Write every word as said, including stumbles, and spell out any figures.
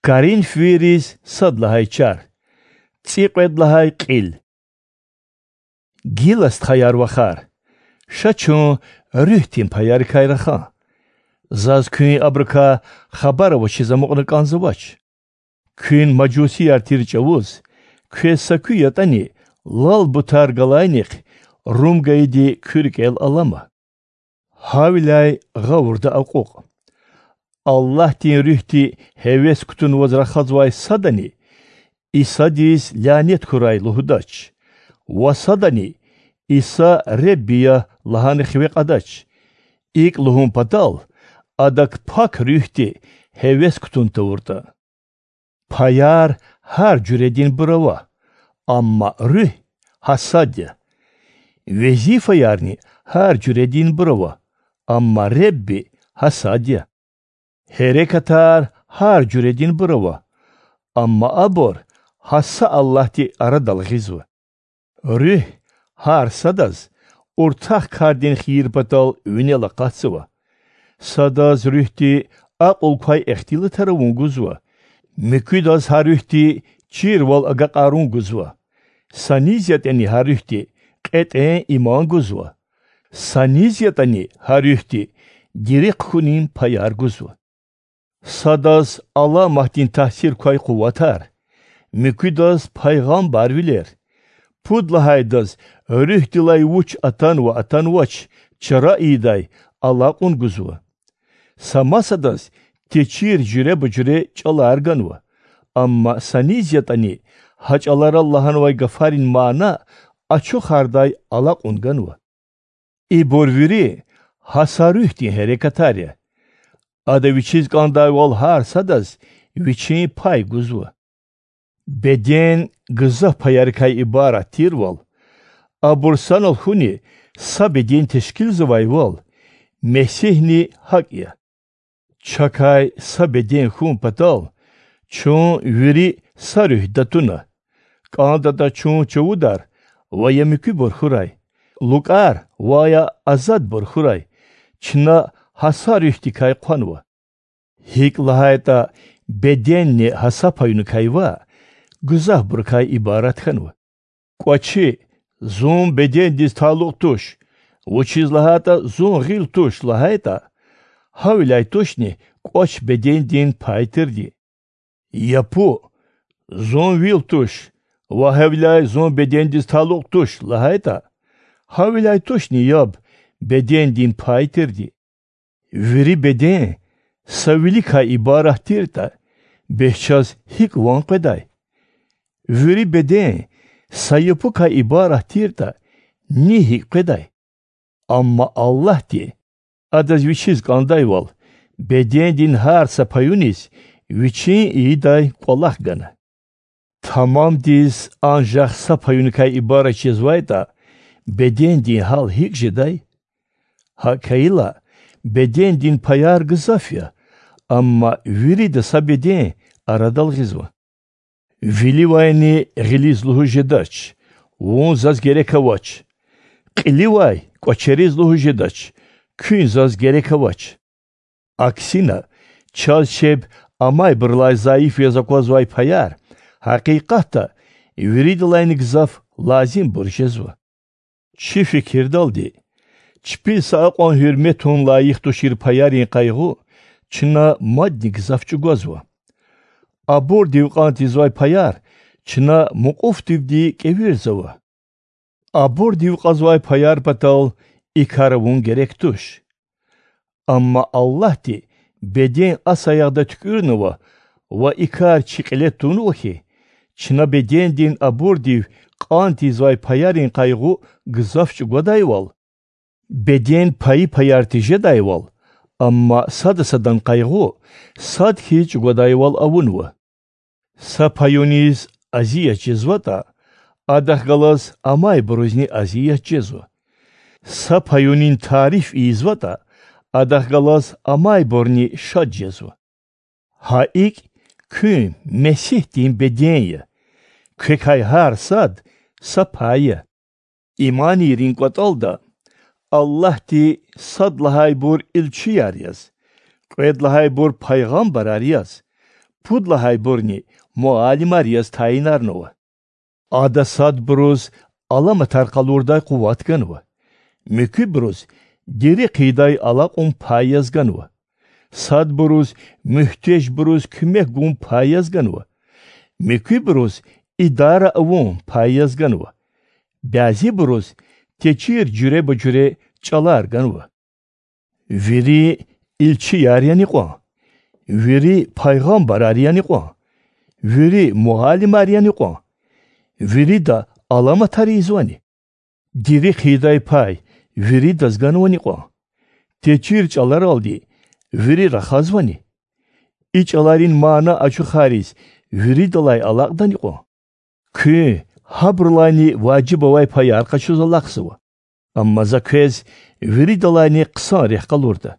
Коринфвийриз сад лагьай чар, цӀикьвед лагьай кьил. Гила, стхаяр-вахар, ша чун руьгьдин паярикай рахан. Заз куьн абурукай хабар авачиз амукьна кӀанзавач. Куьн мажусияр тир чӀавуз, квез са куь ятӀани лал бутар галайнихъ рум гайиди куь рикӀел алама. Гьавиляй гъавурда акьукь. Аллагьдин Руьгьди гьевес кутунваз рахазвай садани Исадиз лянет хьурай лугьудач, ва садани Иса Ребби я лагьана хиве кьадач. ИкӀ лугьун патал, Адак Пак Руьгьди гьевес кутун тавуртӀа. Паяр гьар жуьрединбур ава, амма Руьгь гьа сад я. Везифаярни гьар жуьрединбур ава, амма Ребби гьа сад я. Гьерекатар гьар жуьрединбур ава, амма абур гьа са Аллагьди арадал гъизва. Руьгь гьар садаз уртах кардин хийир патал винел акъатзава. Садаз Руьгьди акьул квай ихтилатар авун гузва, муькуьдаз гьа Руьгьди чирвал агакьарун гузва, са низ ятӀани гьа Руьгьди кьетӀен иман гузва, са низ ятӀани гьа Руьгьди дерихъ хьунин паяр гузва. Садаз аламатдин таъсир квай къуватар, муькуьдаз пайгъамбарвилер, пуд лагьайдаз Руьгьдилай вуч атанва-атанвач чара ийидай алакьун гузва. Са масадаз течир жуьреба-жуьре чӀалар ганва, амма са низ ятӀани гьа чӀаларал лагьанвай гафарин мана ачухардай алакьун ганва. Ибур вири гьа са Руьгьдин гьерекатар я. Ада Вичиз кӀандайвал гьар садаз Вичин пай гузва. Беден гзаф паярикай ибарат тирвал, абур санал хьуни са беден тешкилзавайвал, Месигьни гьакӀ я. Чакай са беден хьун патал, чун вири са Руьгьда туна. КӀандатӀа чун чувудар ва я муькуьбур хьурай, лукӀар ва я азадбур хьурай, чна гьа са Руьгьдикай хъванва. ГьикӀ лагьайтӀа беденни гьа са паюникай ваъ, гзафбурукай ибарат хьанва. КӀвачи, зун бедендиз талукь туш, вучиз лагьайтӀа зун гъил туш лагьайтӀа, гьавиляй тушни кӀвач бедендин пай тирди? Япу, зун вил туш, ва гьавиляй зун бедендиз талукь туш лагьайтӀа, гьавиляй тушни яб бедендин пай тирди? Вири беден са виликай ибарат тиртӀа, бес чаз гьикӀ ван къведай? Вири беден са япукай ибарат тиртӀа, ни гьикӀ къведай? Амма Аллагьди, Адаз Вичиз кӀандайвал, бедендин гьар са паюниз Вичин ийидай кӀвалах гана. Тамамдиз анжах са паюникай ибарат жезвайтӀа, бедендин гьал гьикӀ жедай? ГьакӀ хьайила, бедендин паяр гзаф я, амма вирида са беден арадал гъизва. Виливайни гъилиз лугьуз жедач: Вун заз герек авач. Кьиливай кӀвачериз лугьуз жедач: Куьн заз герек авач. Аксина, чаз чеб амайбурулай зайиф яз аквазвай паяр, гьакъикъатда, виридалайни гзаф лазимбур жезва. Чи фикирдалди, чпиз са акьван гьуьрметун лайих тушир паярин къайгъу чна мадни гзаф чӀугвазва. Абурдив кьан тийизвай паяр чна мукьуфдивди кӀевирзава. Абурдив кьазвай паяр патал и кар авун герек туш. Амма Аллагьди беден а саягъда туькӀуьрнава ва и кар чи кьиле тунва хьи, чна бедендин абурдив кьан тийизвай паярин къайгъу гзаф чӀугвадайвал, беден пайи-паяр тежедайвал, амма сада садан къайгъу сад хьиз чӀугвадайвал авунва. Са паюниз азият жезватӀа, адахъ галаз амайбурузни азият жезва. Са паюнин тариф ийизватӀа, адахъ галаз амайбурни шад жезва. Гьа икӀ, куьн Месигьдин беден я, квекай гьар сад са пай я. Иманийрин кӀватӀалда, Аллагьди сад лагьайбур илчияр яз, кьвед лагьайбур пайгъамбарар яз, Пуд лагьайбурни муаллимар яз тайинарнава. Ада садбуруз аламатар къалурдай къуват ганва, муькуьбуруз дири хъийидай алакьун пай яз ганва, садбуруз муьгьтежбуруз куьмек гун пай яз ганва, муькуьбуруз идара авун пай яз ганва, бязибуруз течир жуьреба-жуьре чӀалар ганва. Вири илчияр яни кьван? Вири пайгъамбарар яни кьван? Вири муаллимар яни кьван? Вирида аламатар ийизвани? Дири хъийидай пай виридаз ганвани кьван? Течир чӀаларалди вири рахазвани? И чӀаларин мана ачухариз виридалай алакьдани кьван? Куьн гьабурулайни важиб авай паяр къачуз алахъзава, амма За квез виридалайни хъсан рехъ къалурда.